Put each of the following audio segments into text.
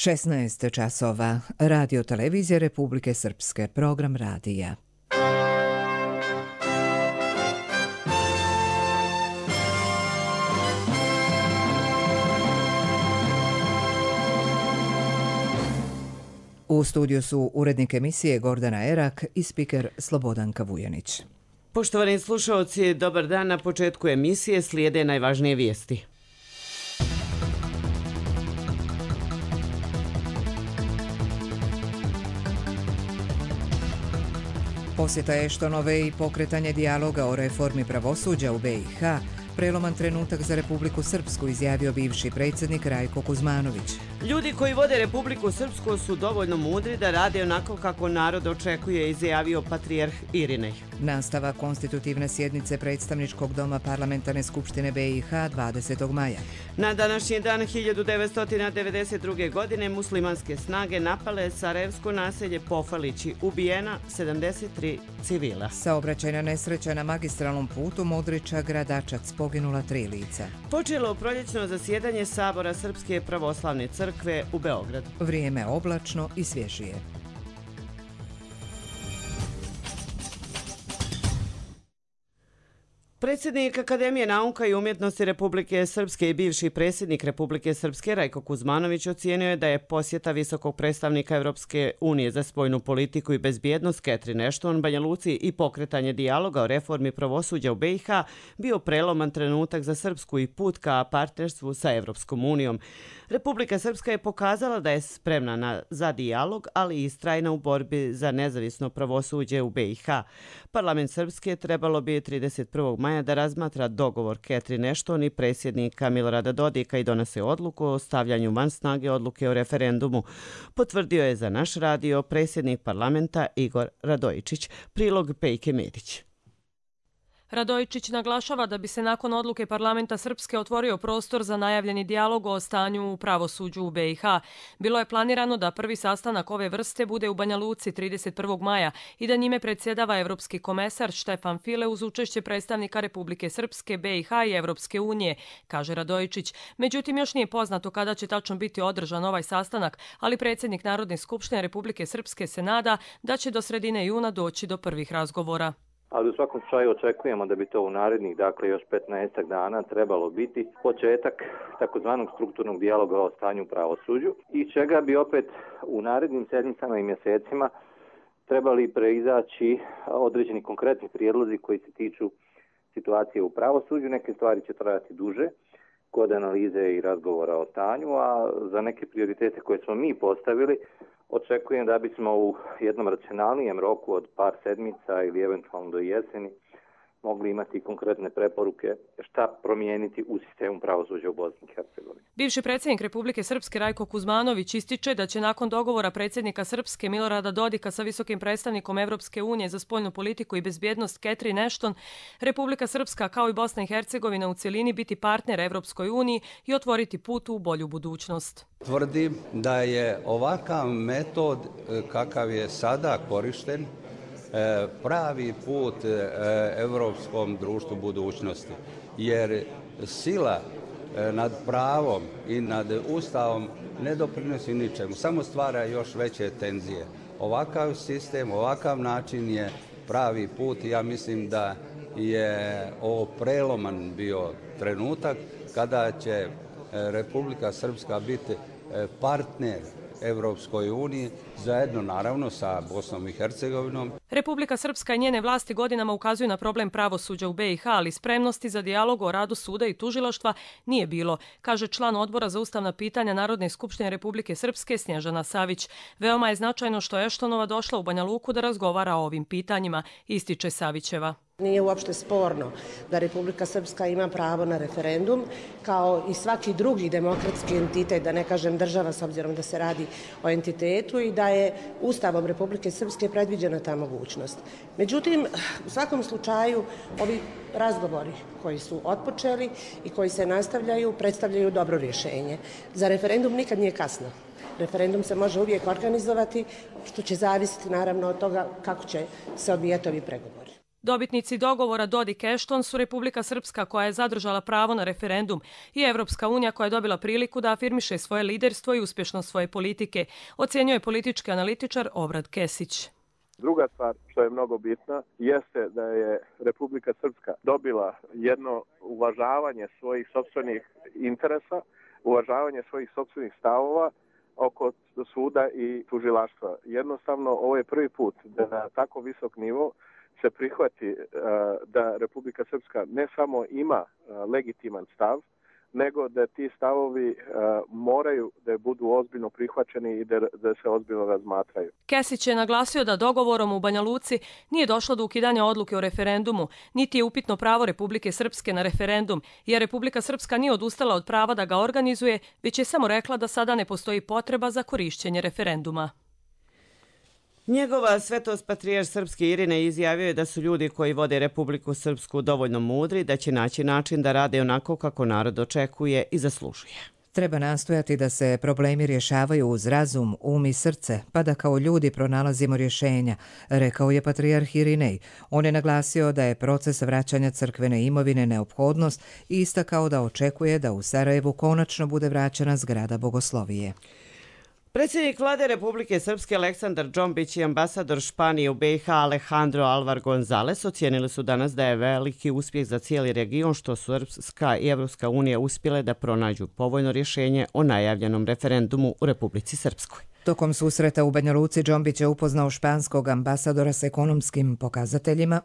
16 časova. Radio televizije Republike Srpske. Program radija. U studiju su urednik emisije Gordana Erak i spiker Slobodanka Vujanić. Poštovani slušaoci, dobar dan. Na početku emisije slijede najvažnije vijesti. Posjeta Eštonove i pokretanje dijaloga o reformi pravosuđa u BiH, preloman trenutak za Republiku Srpsku, izjavio bivši predsjednik Rajko Kuzmanović. Ljudi koji vode Republiku Srpsku su dovoljno mudri da rade onako kako narod očekuje, izjavio patrijarh Irinej. Nastavak konstitutivne sjednice predstavničkog doma Parlamentarne skupštine BiH 20. maja. Na današnji dan 1992. godine muslimanske snage napale sarajevsko naselje Pofalići, ubijena 73 civila. Saobraćajna nesreća na magistralnom putu Modriča-Gradačac, poginula 3 lica. Počelo proljećno zasjedanje Sabora Srpske pravoslavne crkve u Beogradu. Vrijeme oblačno i svježije. Predsjednik Akademije nauka i umjetnosti Republike Srpske i bivši predsjednik Republike Srpske Rajko Kuzmanović ocijenio je da je posjeta visokog predstavnika Europske unije za spoljnu politiku i bezbjednost Catherine Ashton Banja Luci i pokretanje dijaloga o reformi pravosuđa u BiH bio preloman trenutak za Srpsku i put ka partnerstvu sa Europskom unijom. Republika Srpska je pokazala da je spremna za dijalog, ali i istrajna u borbi za nezavisno pravosuđe u BiH. Parlament Srpske trebalo bi 31. maja da razmatra dogovor Catherine Ashton i predsjednika Milorada Dodika i donese odluku o stavljanju van snage odluke o referendumu. Potvrdio je za naš radio predsjednik parlamenta Igor Radojičić. Prilog Pejke Medić. Radojičić naglašava da bi se nakon odluke parlamenta Srpske otvorio prostor za najavljeni dijalog o stanju u pravosuđu u BiH. Bilo je planirano da prvi sastanak ove vrste bude u Banja Luci 31. maja i da njime predsjedava evropski komesar Štefan File uz učešće predstavnika Republike Srpske, BiH i Evropske unije, kaže Radojičić. Međutim, još nije poznato kada će tačno biti održan ovaj sastanak, ali predsjednik Narodne skupštine Republike Srpske se nada da će do sredine juna doći do prvih razgovora. Ali u svakom slučaju očekujemo da bi to u narednih, još 15 dana trebalo biti početak takozvanog strukturnog dijaloga o stanju u pravosuđu i čega bi opet u narednim sedmicama i mjesecima trebali preizaći određeni konkretni prijedlozi koji se tiču situacije u pravosuđu. Neke stvari će trajati duže kod analize i razgovora o stanju, a za neke prioritete koje smo mi postavili očekujem da bismo u jednom racionalnijem roku od par sedmica ili eventualno do jeseni mogli imati konkretne preporuke šta promijeniti u sistemu pravosuđa u Bosni i Hercegovini. Bivši predsjednik Republike Srpske Rajko Kuzmanović ističe da će nakon dogovora predsjednika Srpske Milorada Dodika sa visokim predstavnikom Evropske unije za spoljnu politiku i bezbjednost Catherine Ashton, Republika Srpska kao i Bosna i Hercegovina u cjelini biti partner Evropskoj uniji i otvoriti put u bolju budućnost. Tvrdim da je ovakav metod kakav je sada korišten pravi put evropskom društvu budućnosti, jer sila nad pravom i nad Ustavom ne doprinosi ničemu, samo stvara još veće tenzije. Ovakav sistem, ovakav način je pravi put i ja mislim da je ovo preloman bio trenutak kada će Republika Srpska biti partner Evropskoj uniji, zajedno naravno sa Bosnom i Hercegovinom. Republika Srpska i njene vlasti godinama ukazuju na problem pravosuđa u BiH, ali spremnosti za dijalog o radu suda i tužilaštva nije bilo, kaže član odbora za ustavna pitanja Narodne skupštine Republike Srpske Snježana Savić. Veoma je značajno što je Eštonova došla u Banja Luku da razgovara o ovim pitanjima, ističe Savićeva. Nije uopšte sporno da Republika Srpska ima pravo na referendum, kao i svaki drugi demokratski entitet, da ne kažem država, s obzirom da se radi o entitetu i da je Ustavom Republike Srpske predviđena ta mogućnost. Međutim, u svakom slučaju, ovi razgovori koji su otpočeli i koji se nastavljaju predstavljaju dobro rješenje. Za referendum nikad nije kasno. Referendum se može uvijek organizovati, što će zavisiti naravno od toga kako će se odvijati ovi pregovori. Dobitnici dogovora Dodik-Ešton su Republika Srpska koja je zadržala pravo na referendum i Evropska unija koja je dobila priliku da afirmiše svoje liderstvo i uspješnost svoje politike, ocjenjuje politički analitičar Obrad Kesić. Druga stvar što je mnogo bitna jeste da je Republika Srpska dobila jedno uvažavanje svojih sopstvenih interesa, uvažavanje svojih sopstvenih stavova oko suda i tužilaštva. Jednostavno, ovo je prvi put da na tako visok nivo se prihvati da Republika Srpska ne samo ima legitiman stav, nego da ti stavovi moraju da budu ozbiljno prihvaćeni i da se ozbiljno razmatraju. Kesić je naglasio da dogovorom u Banja Luci nije došlo do ukidanja odluke o referendumu, niti je upitno pravo Republike Srpske na referendum, jer Republika Srpska nije odustala od prava da ga organizuje, već je samo rekla da sada ne postoji potreba za korišćenje referenduma. Njegova svetost patrijarh srpski Irine izjavio je da su ljudi koji vode Republiku Srpsku dovoljno mudri da će naći način da rade onako kako narod očekuje i zaslužuje. Treba nastojati da se problemi rješavaju uz razum, um i srce, pa da kao ljudi pronalazimo rješenja, rekao je patrijarh Irinej. On je naglasio da je proces vraćanja crkvene imovine neophodnost i istakao da očekuje da u Sarajevu konačno bude vraćena zgrada Bogoslovije. Predsjednik vlade Republike Srpske Aleksandar Džombić i ambasador Španije u BiH Alejandro Alvar González ocijenili su danas da je veliki uspjeh za cijeli region što su Srpska i Evropska unija uspjele da pronađu povoljno rješenje o najavljenom referendumu u Republici Srpskoj. Tokom susreta u Banja Luci Džombić je upoznao španskog ambasadora s ekonomskim pokazateljima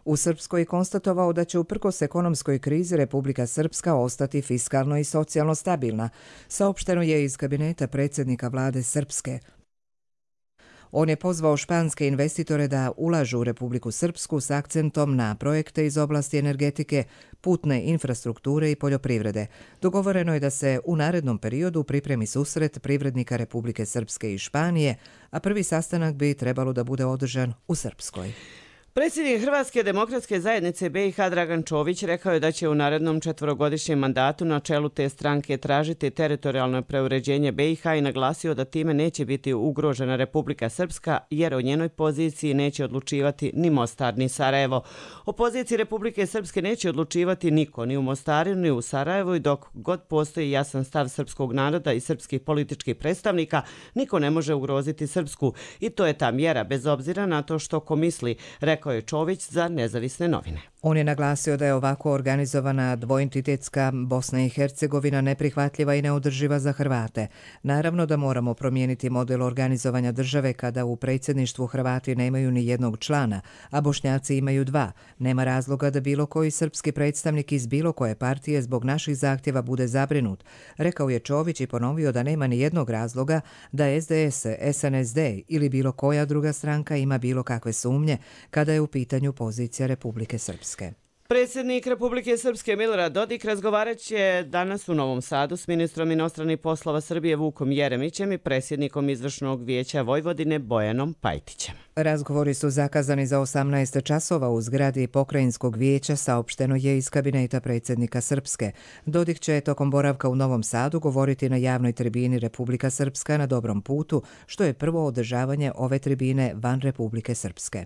u Srpskoj i konstatovao da će uprkos ekonomskoj krizi Republika Srpska ostati fiskalno i socijalno stabilna, saopšteno je iz kabineta predsjednika vlade Srpske. On je pozvao španske investitore da ulažu u Republiku Srpsku s akcentom na projekte iz oblasti energetike, putne infrastrukture i poljoprivrede. Dogovoreno je da se u narednom periodu pripremi susret privrednika Republike Srpske i Španije, a prvi sastanak bi trebalo da bude održan u Srpskoj. Predsjednik Hrvatske demokratske zajednice BiH Dragan Čović rekao je da će u narednom 4-godišnjem mandatu na čelu te stranke tražiti teritorijalno preuređenje BiH i naglasio da time neće biti ugrožena Republika Srpska jer o njenoj poziciji neće odlučivati ni Mostar ni Sarajevo. O poziciji Republike Srpske neće odlučivati niko, ni u Mostaru ni u Sarajevu i dok god postoji jasan stav srpskog naroda i srpskih političkih predstavnika, niko ne može ugroziti Srpsku i to je ta mjera bez obzira na to što ko misli, rekao je Čović za Nezavisne novine. On je naglasio da je ovako organizovana dvoentitetska Bosna i Hercegovina neprihvatljiva i neodrživa za Hrvate. Naravno da moramo promijeniti model organizovanja države kada u predsjedništvu Hrvati nemaju ni jednog člana, a Bošnjaci imaju 2. Nema razloga da bilo koji srpski predstavnik iz bilo koje partije zbog naših zahtjeva bude zabrinut, rekao je Čović i ponovio da nema ni jednog razloga da SDS, SNSD ili bilo koja druga stranka ima bilo kakve sumnje kada je u pitanju pozicija Republike Srpske. Predsjednik Republike Srpske Milorad Dodik razgovarat će danas u Novom Sadu s ministrom inostranih poslova Srbije Vukom Jeremićem i predsjednikom Izvršnog vijeća Vojvodine Bojanom Pajtićem. Razgovori su zakazani za 18 časova u zgradi Pokrajinskog vijeća, saopšteno je iz kabineta predsjednika Srpske. Dodik će tokom boravka u Novom Sadu govoriti na javnoj tribini Republika Srpska na dobrom putu, što je prvo održavanje ove tribine van Republike Srpske.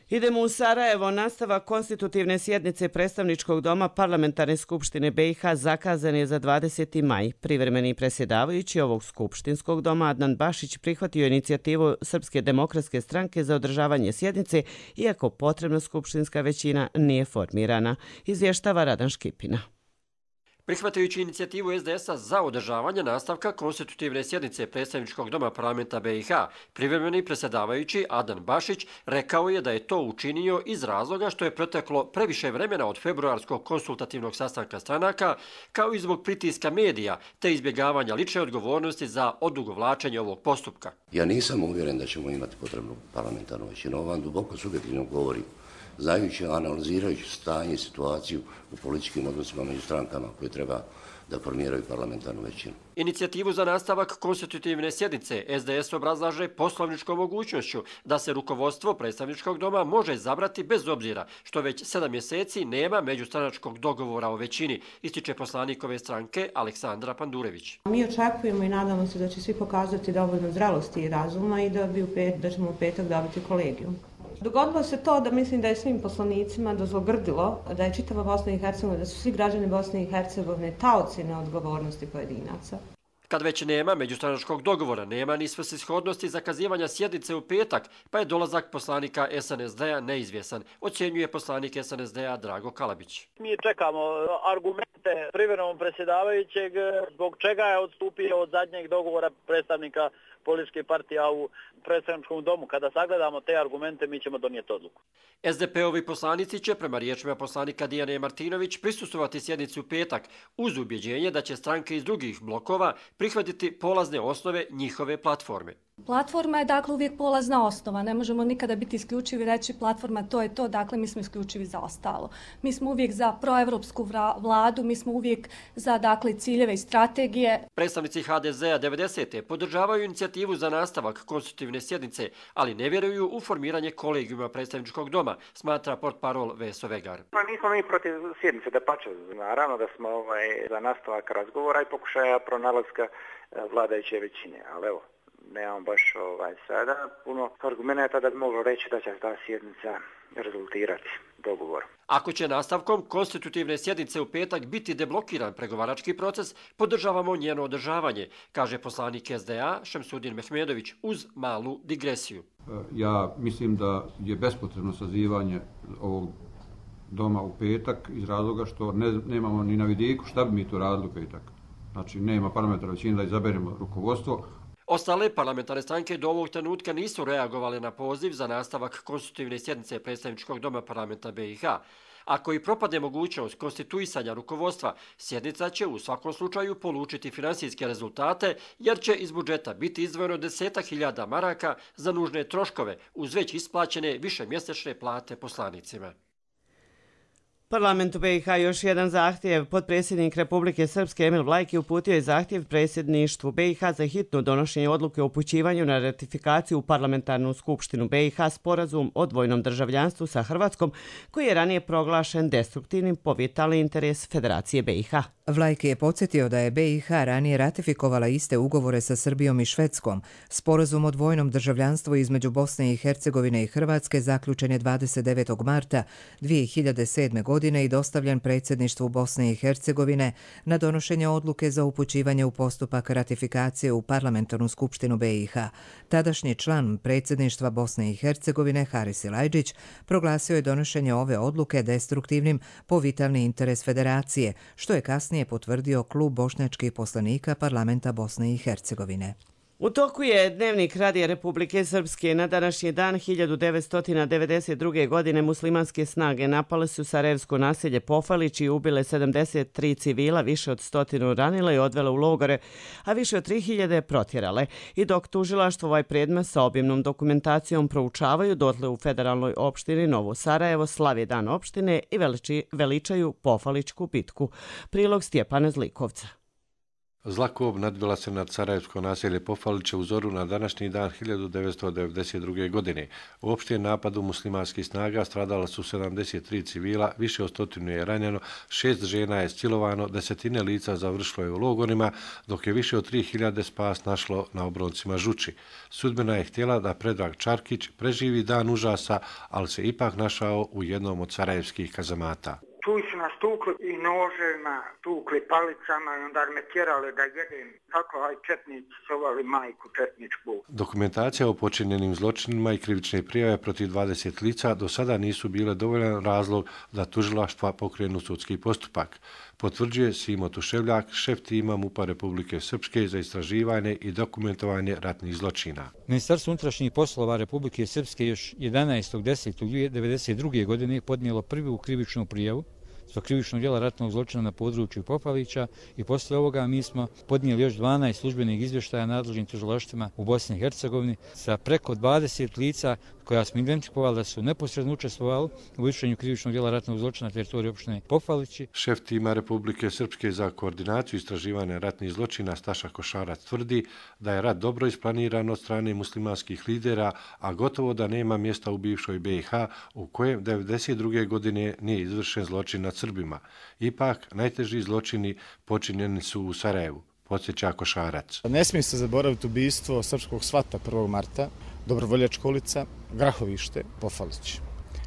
Idemo u Sarajevo. Nastavak konstitutivne sjednice Predstavničkog doma Parlamentarne skupštine BiH zakazan je za 20. maj. Privremeni predsjedavajući ovog skupštinskog doma Adnan Bašić prihvatio inicijativu Srpske demokratske stranke za održavanje sjednice, iako potrebna skupštinska većina nije formirana, izvještava Radan Škipina. Prihvatajući inicijativu SDS-a za održavanje nastavka konstitutivne sjednice Predstavničkog doma parlamenta BiH, privremeni predsjedavajući Adnan Bašić rekao je da je to učinio iz razloga što je proteklo previše vremena od februarskog konsultativnog sastanka stranaka, kao i zbog pritiska medija te izbjegavanja lične odgovornosti za odugovlačenje ovog postupka. Ja nisam uvjeren da ćemo imati potrebnu parlamentarnu većinu. Ovo vam duboko subjektivno govori, znajući, analizirajući stanje i situaciju u političkim odnosima među strankama koje treba da formiraju parlamentarnu većinu. Inicijativu za nastavak konstitutivne sjednice SDS obrazlaže poslovničkom mogućnošću da se rukovodstvo predstavničkog doma može izabrati bez obzira što već 7 mjeseci nema međustranačkog dogovora o većini, ističe poslanik ove stranke Aleksandra Pandurević. Mi očekujemo i nadamo se da će svi pokazati dovoljno zrelosti i razuma i da ćemo u petak dobiti kolegijum. Dogodilo se to da mislim da je svim poslanicima dozlogrdilo da je čitava Bosna i Hercegovina, da su svi građani Bosne i Hercegovine taoci neodgovornosti pojedinaca. Kad već nema međustranačkog dogovora, nema ni svrsishodnosti zakazivanja sjednice u petak, pa je dolazak poslanika SNSD-a neizvjesan, ocjenjuje poslanik SNSD-a Drago Kalabić. Mi čekamo argumente privremenog predsjedavajućeg zbog čega je odstupio od zadnjeg dogovora predstavnika političke partije u predstavničkom domu. Kada sagledamo te argumente, mi ćemo donijeti odluku. SDP-ovi poslanici će, prema riječima poslanika Dijane Martinović, prisustvovati sjednici u petak uz ubjeđenje da će stranke iz drugih blokova prihvatiti polazne osnove njihove platforme. Platforma je dakle uvijek polazna osnova, ne možemo nikada biti isključivi i reći platforma to je to, dakle mi smo isključivi za ostalo. Mi smo uvijek za proevropsku vladu, mi smo uvijek za dakle ciljeve i strategije. Predstavnici HDZ-a 90. podržavaju inicijativu za nastavak konstitutivne sjednice, ali ne vjeruju u formiranje kolegijuma predstavničkog doma, smatra portparol Veso Vegar. Pa nismo mi protiv sjednice, da pače, naravno da smo za nastavak razgovora i pokušaja pronalaska vladajuće većine, ali evo, nemam baš sada puno argumenta da bi moglo reći da će ta sjednica rezultirati dogovorom. Ako će nastavkom konstitutivne sjednice u petak biti deblokiran pregovarački proces, podržavamo njeno održavanje, kaže poslanik SDA Šemsudin Mehmedović uz malu digresiju. Ja mislim da je bespotrebno sazivanje ovog doma u petak iz razloga što nemamo ni na vidiku šta bi mi to radili u petak. Znači nema parlamentarne većine da izaberemo rukovodstvo. Ostale parlamentarne stranke do ovog trenutka nisu reagovale na poziv za nastavak konstitutivne sjednice predstavničkog doma parlamenta BiH. Ako i propadne mogućnost konstituisanja rukovodstva, sjednica će u svakom slučaju polučiti finansijske rezultate, jer će iz budžeta biti izdvojeno 10.000 maraka za nužne troškove uz već isplaćene višemjesečne plate poslanicima. Parlamentu BiH još jedan zahtjev. Potpredsjednik Republike Srpske Emil Vlajki uputio je zahtjev predsjedništvu BiH za hitno donošenje odluke o upućivanju na ratifikaciju u Parlamentarnu skupštinu BiH sporazum o dvojnom državljanstvu sa Hrvatskom, koji je ranije proglašen destruktivnim po vitalni interes Federacije BiH. Vlajki je podsjetio da je BiH ranije ratifikovala iste ugovore sa Srbijom i Švedskom. Sporazum o dvojnom državljanstvu između Bosne i Hercegovine i Hrvatske zaključen je 29. marta 2007. godine i dostavljen predsjedništvu Bosne i Hercegovine na donošenje odluke za upućivanje u postupak ratifikacije u Parlamentarnu skupštinu BiH. Tadašnji član predsjedništva Bosne i Hercegovine Haris Ilajđić proglasio je donošenje ove odluke destruktivnim po vitalni interes Federacije, što je kasnije potvrdio klub bošnjačkih poslanika parlamenta Bosne i Hercegovine. U toku je dnevnik Radija Republike Srpske. Na današnji dan 1992. godine muslimanske snage napale su sarajevsko naselje Pofalić i ubile 73 civila, više od 100 ranile i odvele u logore, a više od 3000 protjerale. I dok tužilaštvo ovaj predmet sa obimnom dokumentacijom proučavaju, dotle u federalnoj opštini Novo Sarajevo slavi dan opštine i veličaju Pofaličku bitku. Prilog Stjepana Zlikovca. Zlakob nadvila se nad sarajevsko naselje Pofaliće u zoru na današnji dan 1992. godine. U opštijem napadu muslimanskih snaga stradala su 73 civila, više od 100 je ranjeno, 6 žena je silovano, 10 lica završilo je u logorima, dok je više od 3000 spas našlo na obroncima Žuči. Sudbina je htjela da Predrag Čarkić preživi dan užasa, ali se ipak našao u jednom od sarajevskih kazamata. Tu su nas tukli i noževima, tukli palicama i onda me tjerali da jedem. Tako, aj četnici sovali majku četničku. Dokumentacija o počinjenim zločinima i krivične prijave protiv 20 lica do sada nisu bile dovoljan razlog da tužilaštva pokrenu sudski postupak. Potvrđuje Simo Tuševljak, šef tima MUP-a Republike Srpske za istraživanje i dokumentovanje ratnih zločina. Ministarstvo unutrašnjih poslova Republike Srpske još 11.10.1992. godine podnijelo prvu krivičnu prijavu zbog krivičnog djela ratnog zločina na području Pofalića i poslije ovoga mi smo podnijeli još 12 službenih izvještaja nadležnim tužilaštvima u Bosni i Hercegovini sa preko 20 lica koja smo identifikovali da su neposredno učestvovali u izvršenju krivičnog djela ratnog zločina na teritoriji opštine Pofalići. Šef tima Republike Srpske za koordinaciju istraživanja ratnih zločina Staša Košarac tvrdi da je rat dobro isplaniran od strane muslimanskih lidera, a gotovo da nema mjesta u bivšoj BiH u kojem 1992. godine nije izvršen zločin nad Srbima. Ipak, najteži zločini počinjeni su u Sarajevu, podsjeća Košarac. Ne smije se zaboraviti ubistvo srpskog svata 1. marta, Dobrovoljačka ulica, Grahovište, Pofalić,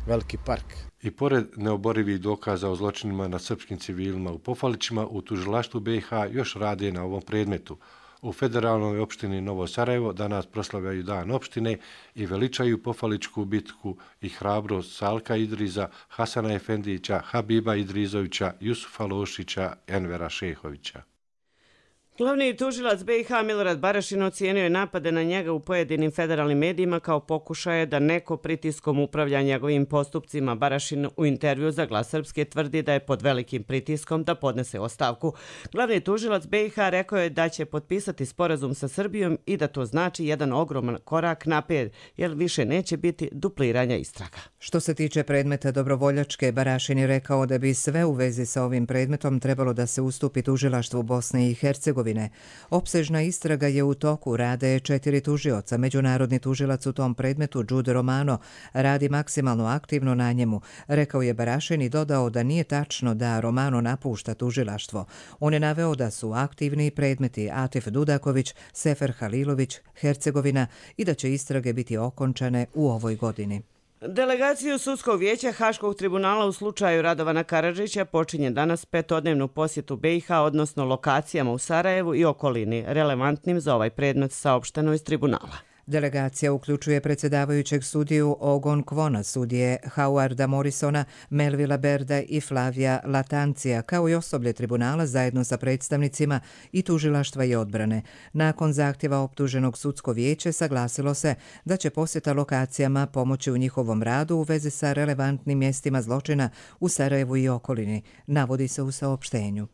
Veliki park. I pored neoborivih dokaza o zločinima nad srpskim civilima u Pofalićima, u tužilaštvu BiH još rade na ovom predmetu. U federalnoj opštini Novo Sarajevo danas proslavljaju dan opštine i veličaju Pofalićku bitku i hrabrost Salka Idriza, Hasana Efendića, Habiba Idrizovića, Jusufa Lošića, Envera Šehovića. Glavni tužilac BiH Milorad Barašin ocijenio je napade na njega u pojedinim federalnim medijima kao pokušaje da neko pritiskom upravlja njegovim postupcima. Barašin u intervju za Glas Srpske tvrdi da je pod velikim pritiskom da podnese ostavku. Glavni tužilac BiH rekao je da će potpisati sporazum sa Srbijom i da to znači jedan ogroman korak naprijed, jer više neće biti dupliranja istraga. Što se tiče predmeta dobrovoljačke, Barašin je rekao da bi sve u vezi sa ovim predmetom trebalo da se ustupi tužilaštvu Bosne i Hercegovine. Opsežna istraga je u toku, rade 4 tužioca. Međunarodni tužilac u tom predmetu, Đude Romano, radi maksimalno aktivno na njemu. Rekao je Barašin i dodao da nije tačno da Romano napušta tužilaštvo. On je naveo da su aktivni predmeti Atif Dudaković, Sefer Halilović, Hercegovina i da će istrage biti okončane u ovoj godini. Delegaciju Sudskog vijeća Haškog tribunala u slučaju Radovana Karadžića počinje danas 5-dnevnu posjetu BiH, odnosno lokacijama u Sarajevu i okolini, relevantnim za ovaj predmet, saopšteno iz tribunala. Delegacija uključuje predsjedavajućeg sudiju Ogon Kvona, sudije Howarda Morrisona, Melvila Berda i Flavija Latancija, kao i osoblje tribunala zajedno sa predstavnicima i tužilaštva i odbrane. Nakon zahtjeva optuženog Sudsko vijeće saglasilo se da će posjeta lokacijama pomoći u njihovom radu u vezi sa relevantnim mjestima zločina u Sarajevu i okolini, navodi se u saopštenju.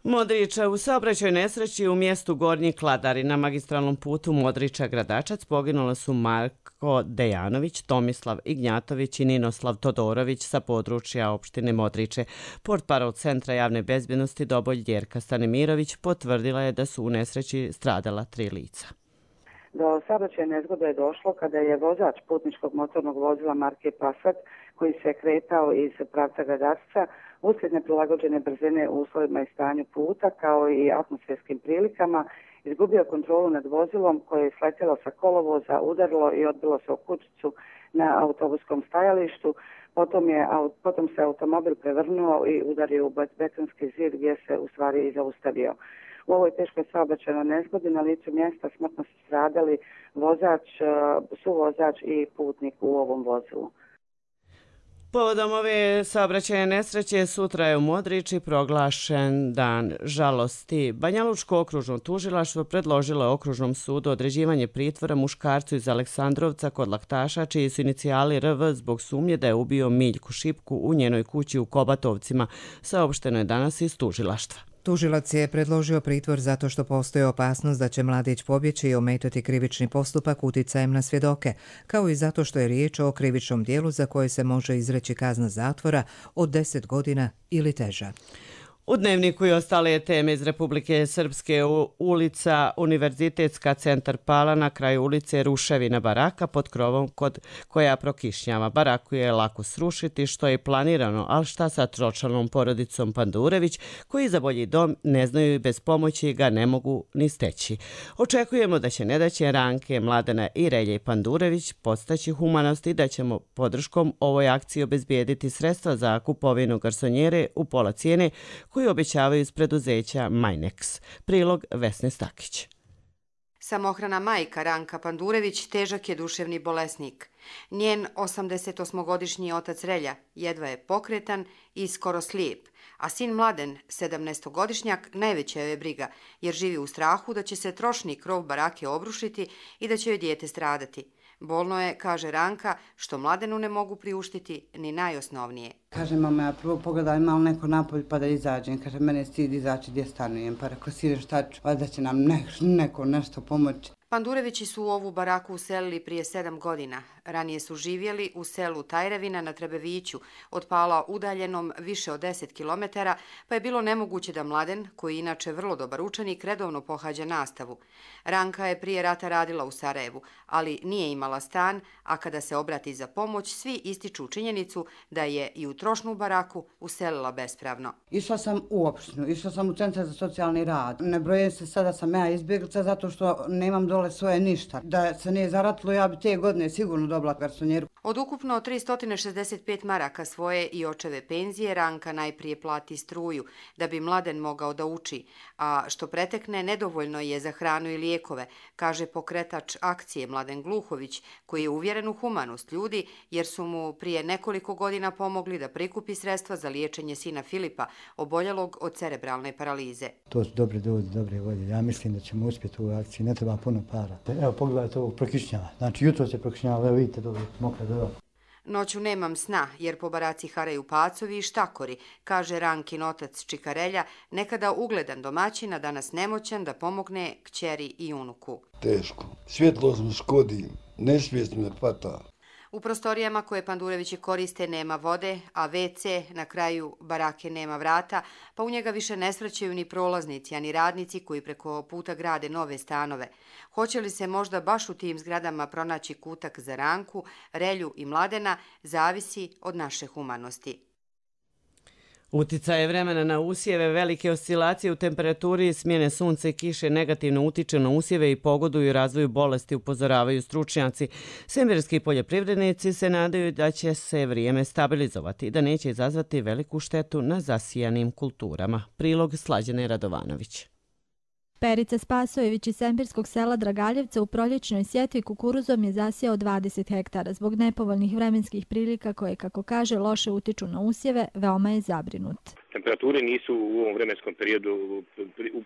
Modrića u saobraćajnoj nesreći u mjestu Gornji Kladari na magistralnom putu Modrića-Gradačac poginula su Marko Dejanović, Tomislav Ignjatović i Ninoslav Todorović sa područja opštine Modriće. Portparol Centra javne bezbjednosti Doboj Ljerka Stanimirović potvrdila je da su u nesreći stradala 3 lica. Do saobraćajne nezgode je došlo kada je vozač putničkog motornog vozila marke Passat, koji se kretao iz pravca Gradačca, uslijed neprilagođene brzine u uslovima i stanju puta, kao i atmosferskim prilikama, izgubio kontrolu nad vozilom koje je sletjelo sa kolovoza, udarilo i odbilo se o kućicu na autobuskom stajalištu. Potom se automobil prevrnuo i udario u betonski zid gdje se u stvari i zaustavio. U ovoj teškoj saobraćajnoj nezgodi na licu mjesta smrtno su stradali vozač, suvozač i putnik u ovom vozilu. Povodom ove saobraćajne nesreće sutra je u Modriči proglašen dan žalosti. Banjalučko okružno tužilaštvo predložilo je okružnom sudu određivanje pritvora muškarcu iz Aleksandrovca kod Laktaša, čiji su inicijali RV zbog sumnje da je ubio Miljku Šipku u njenoj kući u Kobatovcima, saopšteno je danas iz tužilaštva. Tužilac je predložio pritvor zato što postoji opasnost da će mladić pobjeći i ometati krivični postupak uticajem na svjedoke, kao i zato što je riječ o krivičnom dijelu za koje se može izreći kazna zatvora od 10 godina ili teža. U Dnevniku i ostale teme iz Republike Srpske, ulica Univerzitetska, centar Pala, na kraju ulice ruševina baraka pod krovom koja prokišnjava. Baraku je lako srušiti, što je planirano, ali šta sa tročlanom porodicom Pandurević, koji za bolji dom ne znaju i bez pomoći ga ne mogu ni steći. Očekujemo da će nedaće Ranke, Mladena i Relje Pandurević podstaći humanost i da ćemo podrškom ovoj akciji obezbijediti sredstva za kupovinu garsonjere u pola cijene koji obećavaju iz preduzeća Majnex. Prilog Vesne Stakić. Samohrana majka Ranka Pandurević težak je duševni bolesnik. Njen 88-godišnji otac Relja jedva je pokretan i skoro slijep, a sin Mladen, 17-godišnjak, najveća je briga, jer živi u strahu da će se trošni krov barake obrušiti i da će joj dijete stradati. Bolno je, kaže Ranka, što Mladenu ne mogu priuštiti ni najosnovnije. Kaže, mama, ja prvo pogledam malo neko napolj pa da izađem. Kaže, mene stid izaći gdje stanujem. Pa rekao, sire, šta ću? Valjda će nam neko nešto pomoći. Pandurevići su u ovu baraku uselili prije 7 godina. Ranije su živjeli u selu Tajrevina na Trebeviću, od Pala udaljenom više od 10 km, pa je bilo nemoguće da Mladen, koji je inače vrlo dobar učenik, redovno pohađa nastavu. Ranka je prije rata radila u Sarajevu, ali nije imala stan, a kada se obrati za pomoć, svi ističu činjenicu da je i u trošnu baraku uselila bespravno. Išla sam u opštinu, išla sam u centar za socijalni rad. Ne brojem se sada sam ja izbjeglica zato što nemam dole svoje ništa. Da se nije zaratilo, ja bi te godine sigurno dobila dobila garsonjeru. Od ukupno 365 maraka svoje i očeve penzije Ranka najprije plati struju da bi Mladen mogao da uči, a što pretekne nedovoljno je za hranu i lijekove, kaže pokretač akcije Mladen Gluhović, koji je uvjeren u humanost ljudi jer su mu prije nekoliko godina pomogli da prikupi sredstva za liječenje sina Filipa, oboljelog od cerebralne paralize. To su dobre doze, dobre volje. Ja mislim da ćemo uspjeti u ovoj akciji, ne treba puno para. Evo, pogledajte ovog prokišnjava. Znači, jutro se prokišnjava, evo vidite dobro, mokra doda. Noću nemam sna, jer po baraci haraju pacovi i štakori, kaže Rankin otac Čikarelja, nekada ugledan domaćin, a danas nemoćan da pomogne kćeri i unuku. Teško. Svjetlost mi škodi, nesvijest me hvata. U prostorijama koje Pandurevići koriste nema vode, a WC na kraju barake nema vrata, pa u njega više ne srećaju ni prolaznici, ani radnici koji preko puta grade nove stanove. Hoće li se možda baš u tim zgradama pronaći kutak za Ranku, Relju i Mladena, zavisi od naše humanosti. Uticaje vremena na usjeve, velike oscilacije u temperaturi, smjene sunca i kiše negativno utiču na usjeve i pogoduju razvoju bolesti, upozoravaju stručnjaci. Semberski poljoprivrednici se nadaju da će se vrijeme stabilizovati i da neće izazvati veliku štetu na zasijanim kulturama. Prilog Slađane Radovanović. Perica Spasojević iz semberskog sela Dragaljevca u proljećnoj sjetvi kukuruzom je zasijao 20 hektara. Zbog nepovoljnih vremenskih prilika koje, kako kaže, loše utiču na usjeve, veoma je zabrinut. Temperature nisu u ovom vremenskom periodu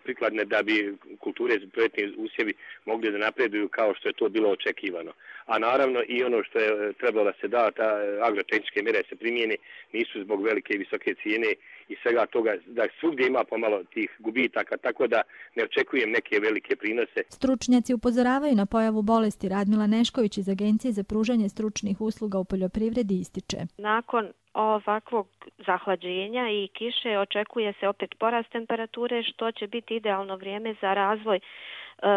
prikladne da bi kulture proljetni usjevi mogli da napreduju kao što je to bilo očekivano. A naravno i ono što je trebalo da se da, ta agrotehničke mjere se primijene, nisu zbog velike i visoke cijene i svega toga, da svugdje ima pomalo tih gubitaka, tako da ne očekujem neke velike prinose. Stručnjaci upozoravaju na pojavu bolesti. Radmila Nešković iz Agencije za pružanje stručnih usluga u poljoprivredi ističe. Nakon ovakvog zahlađenja i kiše očekuje se opet porast temperature, što će biti idealno vrijeme za razvoj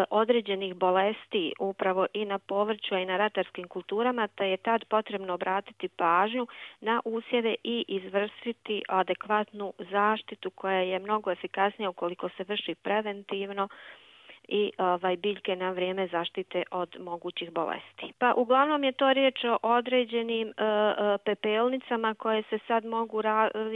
određenih bolesti upravo i na povrću i na ratarskim kulturama, te je tad potrebno obratiti pažnju na usjeve i izvršiti adekvatnu zaštitu koja je mnogo efikasnija ukoliko se vrši preventivno i biljke na vrijeme zaštite od mogućih bolesti. Pa uglavnom je to riječ o određenim pepelnicama koje se sad mogu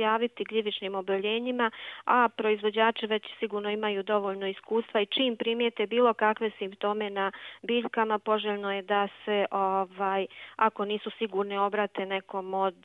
javiti gljivičnim oboljenjima, a proizvođači već sigurno imaju dovoljno iskustva i čim primijete bilo kakve simptome na biljkama, poželjno je da se, ako nisu sigurni, obrate nekom od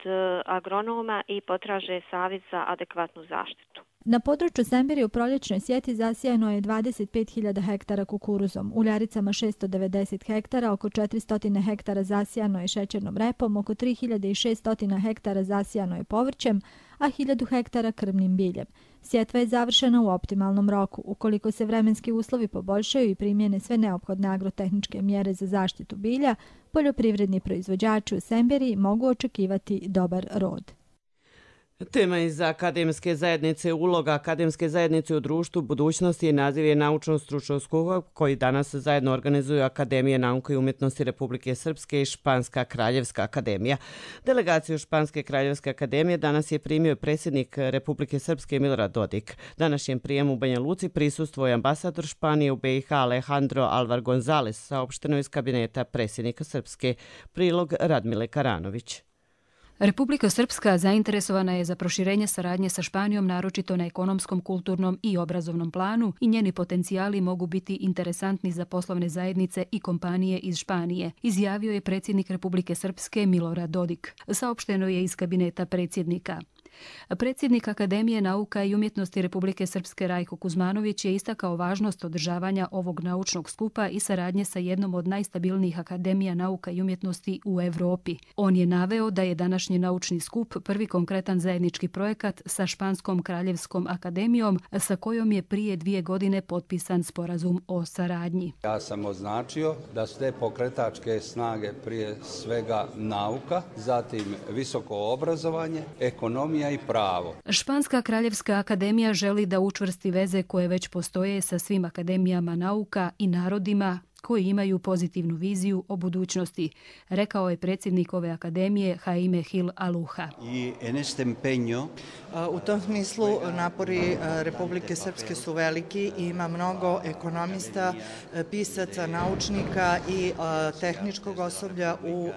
agronoma i potraže savjet za adekvatnu zaštitu. Na području Semberije u proljećnoj sjeti zasijano je 25.000 hektara kukuruzom, u Ljaricama 690 hektara, oko 400 hektara zasijano je šećernom repom, oko 3.600 hektara zasijano je povrćem, a 1.000 hektara krmnim biljem. Sjetva je završena u optimalnom roku. Ukoliko se vremenski uslovi poboljšaju i primjene sve neophodne agrotehničke mjere za zaštitu bilja, poljoprivredni proizvođači u Semberiji mogu očekivati dobar rod. Tema iz akademske zajednice, uloga akademske zajednice u društvu budućnosti i naziv je naučno-stručnog skupa koji danas zajedno organizuju Akademije nauke i umjetnosti Republike Srpske i Španska kraljevska akademija. Delegaciju Španske kraljevske akademije danas je primio predsjednik Republike Srpske Milorad Dodik. Današnjem prijemu u Banja Luci prisustvuje ambasador Španije u BiH Alejandro Alvar González, saopšteno iz kabineta predsjednika Srpske. Prilog Radmile Karanović. Republika Srpska zainteresovana je za proširenje saradnje sa Španijom, naročito na ekonomskom, kulturnom i obrazovnom planu, i njeni potencijali mogu biti interesantni za poslovne zajednice i kompanije iz Španije, izjavio je predsjednik Republike Srpske Milorad Dodik. Saopšteno je iz kabineta predsjednika. Predsjednik Akademije nauka i umjetnosti Republike Srpske Rajko Kuzmanović je istakao važnost održavanja ovog naučnog skupa i saradnje sa jednom od najstabilnijih akademija nauka i umjetnosti u Evropi. On je naveo da je današnji naučni skup prvi konkretan zajednički projekat sa Španskom kraljevskom akademijom, sa kojom je prije 2 godine potpisan sporazum o saradnji. Ja sam označio da su te pokretačke snage prije svega nauka, zatim visoko obrazovanje, ekonomija i pravo. Španska kraljevska akademija želi da učvrsti veze koje već postoje sa svim akademijama nauka i narodima koji imaju pozitivnu viziju o budućnosti, rekao je predsjednik ove akademije Jaime Gil Aluja. U tom smislu napori Republike Srpske su veliki i ima mnogo ekonomista, pisaca, naučnika i tehničkog osoblja u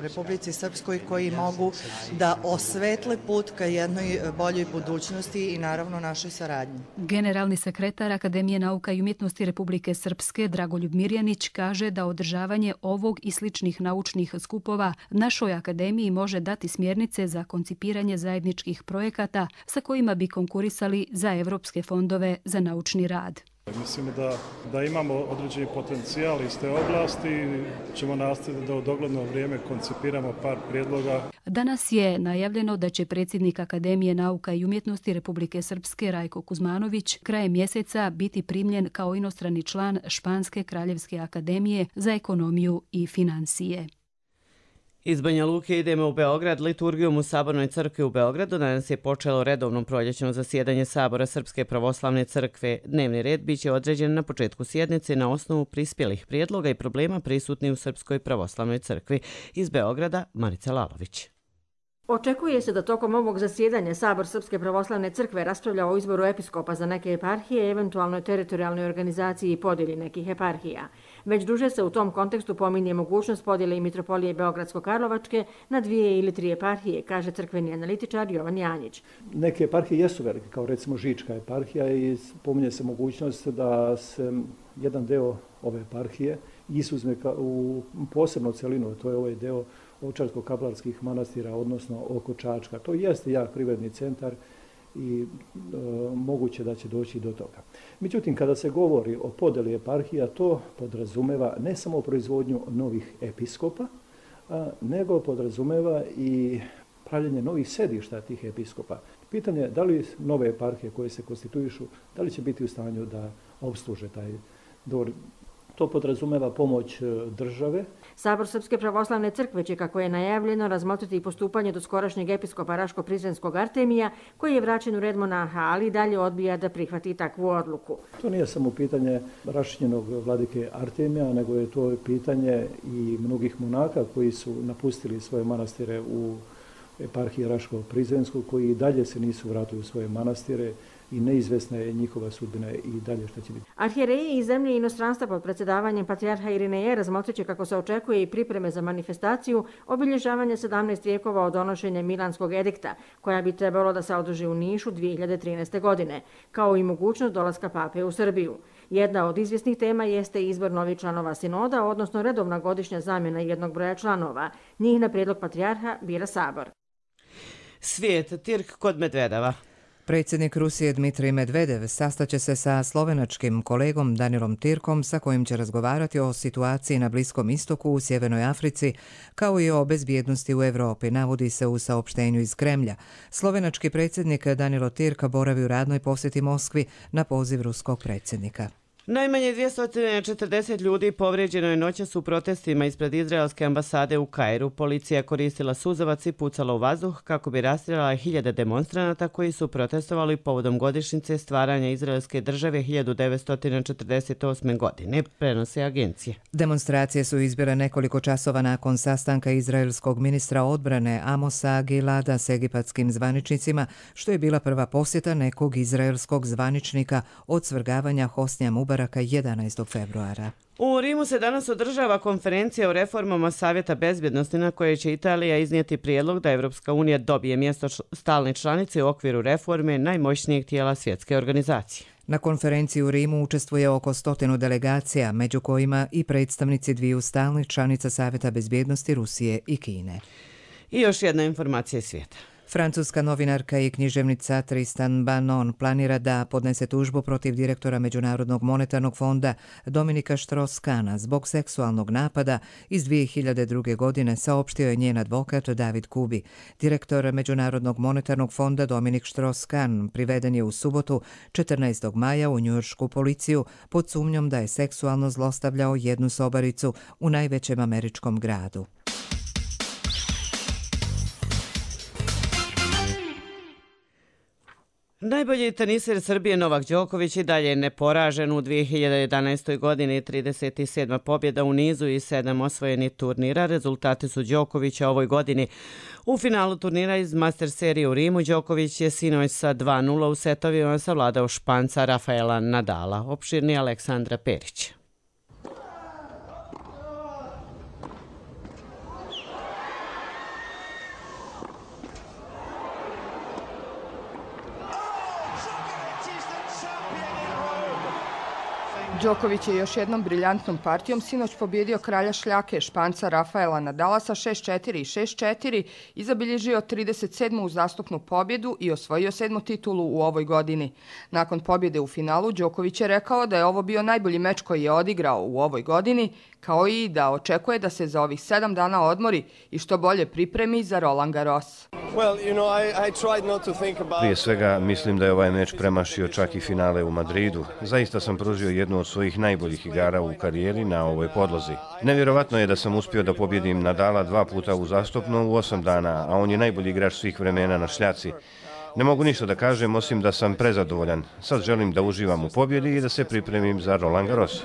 Republici Srpskoj koji mogu da osvetle put ka jednoj boljoj budućnosti i naravno našoj saradnji. Generalni sekretar Akademije nauka i umjetnosti Republike Srpske Dragoljub Mirjanić kaže da održavanje ovog i sličnih naučnih skupova našoj akademiji može dati smjernice za koncipiranje zajedničkih projekata sa kojima bi konkurisali za evropske fondove za naučni rad. Mislim da imamo određeni potencijal iz te oblasti, ćemo nastaviti da u dogledno vrijeme koncipiramo par prijedloga. Danas je najavljeno da će predsjednik Akademije nauka i umjetnosti Republike Srpske Rajko Kuzmanović krajem mjeseca biti primljen kao inostrani član Španske kraljevske akademije za ekonomiju i financije. Iz Banja Luke idemo u Beograd. Liturgijom u Sabornoj crkvi u Beogradu danas je počelo redovno proljećno zasjedanje Sabora Srpske pravoslavne crkve. Dnevni red biće određen na početku sjednice na osnovu prispjelih prijedloga i problema prisutnih u Srpskoj pravoslavnoj crkvi. Iz Beograda Marica Lalović. Očekuje se da tokom ovog zasjedanja Sabor Srpske pravoslavne crkve raspravlja o izboru episkopa za neke eparhije, eventualnoj teritorijalnoj organizaciji i podjeli nekih eparhija. Već duže se u tom kontekstu pominje mogućnost podjele i mitropolije Beogradsko-Karlovačke na 2 ili 3 eparhije, kaže crkveni analitičar Jovan Janjić. Neke eparhije jesu velike, kao recimo Žička eparhija, i pominje se mogućnost da se jedan deo ove eparhije izuzme u posebnu celinu, to je ovaj deo Ovčarsko-Kablarskih manastira, odnosno oko Čačka. To jeste jak privredni centar i moguće da će doći do toga. Međutim, kada se govori o podeli eparhija, to podrazumeva ne samo proizvodnju novih episkopa, nego podrazumeva i pravljenje novih sedišta tih episkopa. Pitanje je da li nove eparhije koje se konstituišu, da li će biti u stanju da obsluže taj dvor. To podrazumeva pomoć države. Sabor Srpske pravoslavne crkve će, kako je najavljeno, razmotriti i postupanje do skorašnjeg episkopa Raško-Prizrenskog Artemija, koji je vraćen u red monaha, ali dalje odbija da prihvati takvu odluku. To nije samo pitanje rašćenog vladike Artemija, nego je to pitanje i mnogih monaka koji su napustili svoje manastire u eparhiji Raško-Prizrenskog, koji i dalje se nisu vratili u svoje manastire i neizvesna je njihova sudbina i dalje što će biti. Arhijereji iz zemlje i inostranstva pod predsjedavanjem patrijarha Irineja razmotrit će, kako se očekuje, i pripreme za manifestaciju obilježavanja 17 vijekova od donošenja Milanskog edikta, koja bi trebalo da se održi u Nišu 2013. godine, kao i mogućnost dolaska pape u Srbiju. Jedna od izvjesnih tema jeste izbor novih članova sinoda, odnosno redovna godišnja zamjena jednog broja članova. Njih na prijedlog patrijarha bira Sabor. Svijet, Tirk kod Medvedeva. Predsjednik Rusije Dmitrij Medvedev sastaće se sa slovenačkim kolegom Danilom Tirkom, sa kojim će razgovarati o situaciji na Bliskom istoku, u Sjevernoj Africi, kao i o bezbjednosti u Europi, navodi se u saopštenju iz Kremlja. Slovenački predsjednik Danilo Tirk boravi u radnoj posjeti Moskvi na poziv ruskog predsjednika. Najmanje 240 ljudi povrijeđeno je noćas u protestima ispred izraelske ambasade u Kairu. Policija koristila suzavac i pucala u vazduh kako bi rastrijala hiljade demonstranata koji su protestovali povodom godišnjice stvaranja izraelske države 1948. godine, prenose agencije. Demonstracije su izbile nekoliko časova nakon sastanka izraelskog ministra odbrane Amosa Gilada s egipatskim zvaničnicima, što je bila prva posjeta nekog izraelskog zvaničnika od svrgavanja Hosnija Mubaraka 11. februara. U Rimu se danas održava konferencija o reformama Savjeta bezbjednosti, na kojoj će Italija iznijeti prijedlog da Evropska unija dobije mjesto stalne članice u okviru reforme najmoćnijeg tijela svjetske organizacije. Na konferenciji u Rimu učestvuje oko 100 delegacija, među kojima i predstavnici dviju stalnih članica Savjeta bezbjednosti Rusije i Kine. I još jedna informacija iz svijeta. Francuska novinarka i književnica Tristan Banon planira da podnese tužbu protiv direktora Međunarodnog monetarnog fonda Dominika Strauss-Kahna zbog seksualnog napada iz 2002. godine, saopštio je njen advokat David Kubi. Direktor Međunarodnog monetarnog fonda Dominik Strauss-Kahn priveden je u subotu 14. maja u njujoršku policiju pod sumnjom da je seksualno zlostavljao jednu sobaricu u najvećem američkom gradu. Najbolji teniser Srbije Novak Đoković i dalje je neporažen u 2011. godini, 37. pobjeda u nizu i 7 osvojenih turnira. Rezultati su Đokovića ovoj godini. U finalu turnira iz Master serije u Rimu Đoković je sinoć sa 2:0 u setovima savladao Španca Rafaela Nadala. Opširni Aleksandra Perić. Đoković je još jednom briljantnom partijom sinoć pobjedio kralja šljake Španca Rafaela Nadala sa 6:4 i 6:4 i zabilježio 37. uzastopnu pobjedu i osvojio 7. titulu u ovoj godini. Nakon pobjede u finalu Đoković je rekao da je ovo bio najbolji meč koji je odigrao u ovoj godini, kao i da očekuje da se za ovih 7 dana odmori i što bolje pripremi za Roland Garros. Prije svega, mislim da je ovaj meč premašio čak i finale u Madridu. Zaista sam pružio jednu od svojih najboljih igara u karijeri na ovoj podlozi. Nevjerovatno je da sam uspio da pobjedim Nadala 2 puta uzastopno u 8 dana, a on je najbolji igrač svih vremena na šljaci. Ne mogu ništa da kažem, osim da sam prezadovoljan. Sad želim da uživam u pobjedi i da se pripremim za Roland Garros.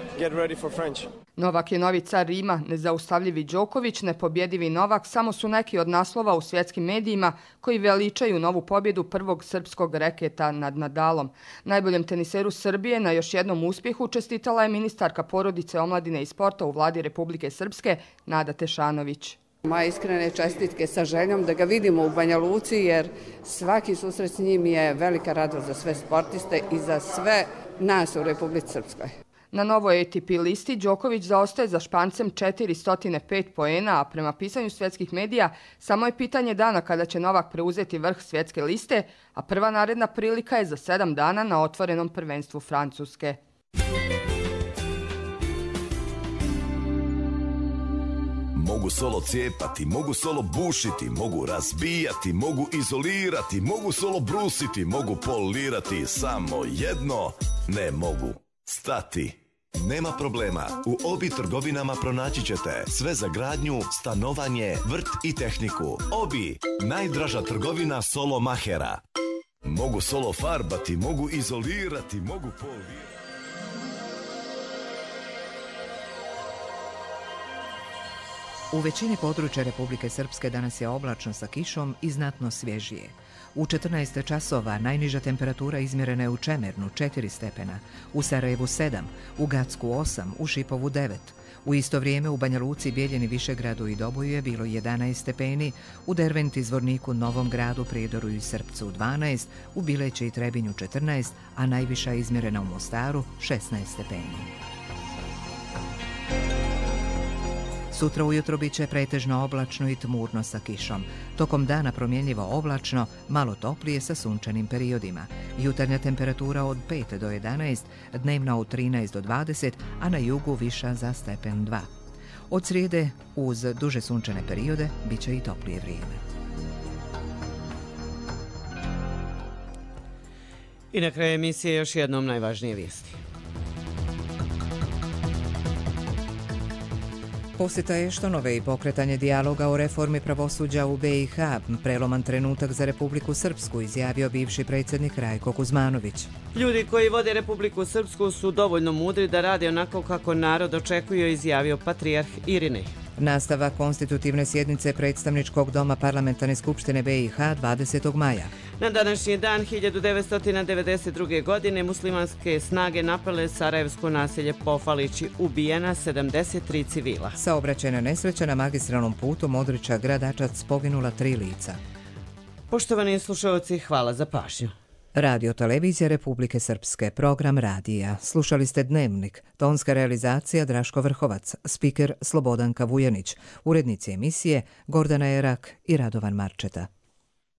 Novak je novi car Rima, nezaustavljivi Đoković, nepobjedivi Novak samo su neki od naslova u svjetskim medijima koji veličaju novu pobjedu prvog srpskog reketa nad Nadalom. Najboljem teniseru Srbije na još jednom uspjehu čestitala je ministarka porodice, omladine i sporta u vladi Republike Srpske, Nada Tešanović. Moje iskrene čestitke sa željom da ga vidimo u Banja Luci, jer svaki susret s njim je velika radost za sve sportiste i za sve nas u Republici Srpskoj. Na novoj ATP listi Đoković zaostaje za Špancem 405 poena, a prema pisanju svjetskih medija samo je pitanje dana kada će Novak preuzeti vrh svjetske liste, a prva naredna prilika je za 7 dana na otvorenom prvenstvu Francuske. Mogu solo cijepati, mogu solo bušiti, mogu razbijati, mogu izolirati, mogu solo brusiti, mogu polirati, samo jedno ne mogu stati. Nema problema, u Obi trgovinama pronaći ćete sve za gradnju, stanovanje, vrt i tehniku. Obi, najdraža trgovina solo mahera. Mogu solo farbati, mogu izolirati, mogu polirati. U većini područja Republike Srpske danas je oblačno sa kišom i znatno svježije. U 14 časova najniža temperatura izmjerena je u Čemernu 4 stepena, u Sarajevu 7, u Gacku 8, u Šipovu 9. U isto vrijeme u Banja Luci, Bijeljini, Višegradu i Doboju je bilo 11 stepeni, u Derventi, Zvorniku, Novom Gradu, Prijedoru i Srpcu 12, u Bileći i Trebinju 14, a najviša je izmjerena u Mostaru 16 stepeni. Sutra ujutro bit će pretežno oblačno i tmurno sa kišom. Tokom dana promjenljivo oblačno, malo toplije sa sunčanim periodima. Jutarnja temperatura od 5 do 11, dnevna od 13 do 20, a na jugu viša za stepen 2. Od srijede, uz duže sunčane periode, bit će i toplije vrijeme. I na kraju emisije još jednom najvažnije vijesti. Posjeta Eštonove i pokretanje dijaloga o reformi pravosuđa u BiH, preloman trenutak za Republiku Srpsku, izjavio bivši predsjednik Rajko Kuzmanović. Ljudi koji vode Republiku Srpsku su dovoljno mudri da rade onako kako narod očekuje, izjavio patrijarh Irinej. Nastavak konstitutivne sjednice predstavničkog doma Parlamentarne skupštine BiH 20. maja. Na današnji dan 1992. godine muslimanske snage napale sarajevsko naselje Pofalići, ubijena 73 civila. Saobraćajna nesreća na magistralnom putu Modriča-Gradačac, poginula 3 lica. Poštovani slušalci, hvala za pažnju. Radio Televizija Republike Srpske, program radija. Slušali ste Dnevnik, tonska realizacija Draško Vrhovac, spiker Slobodanka Vujanić, urednici emisije Gordana Erak i Radovan Marčeta.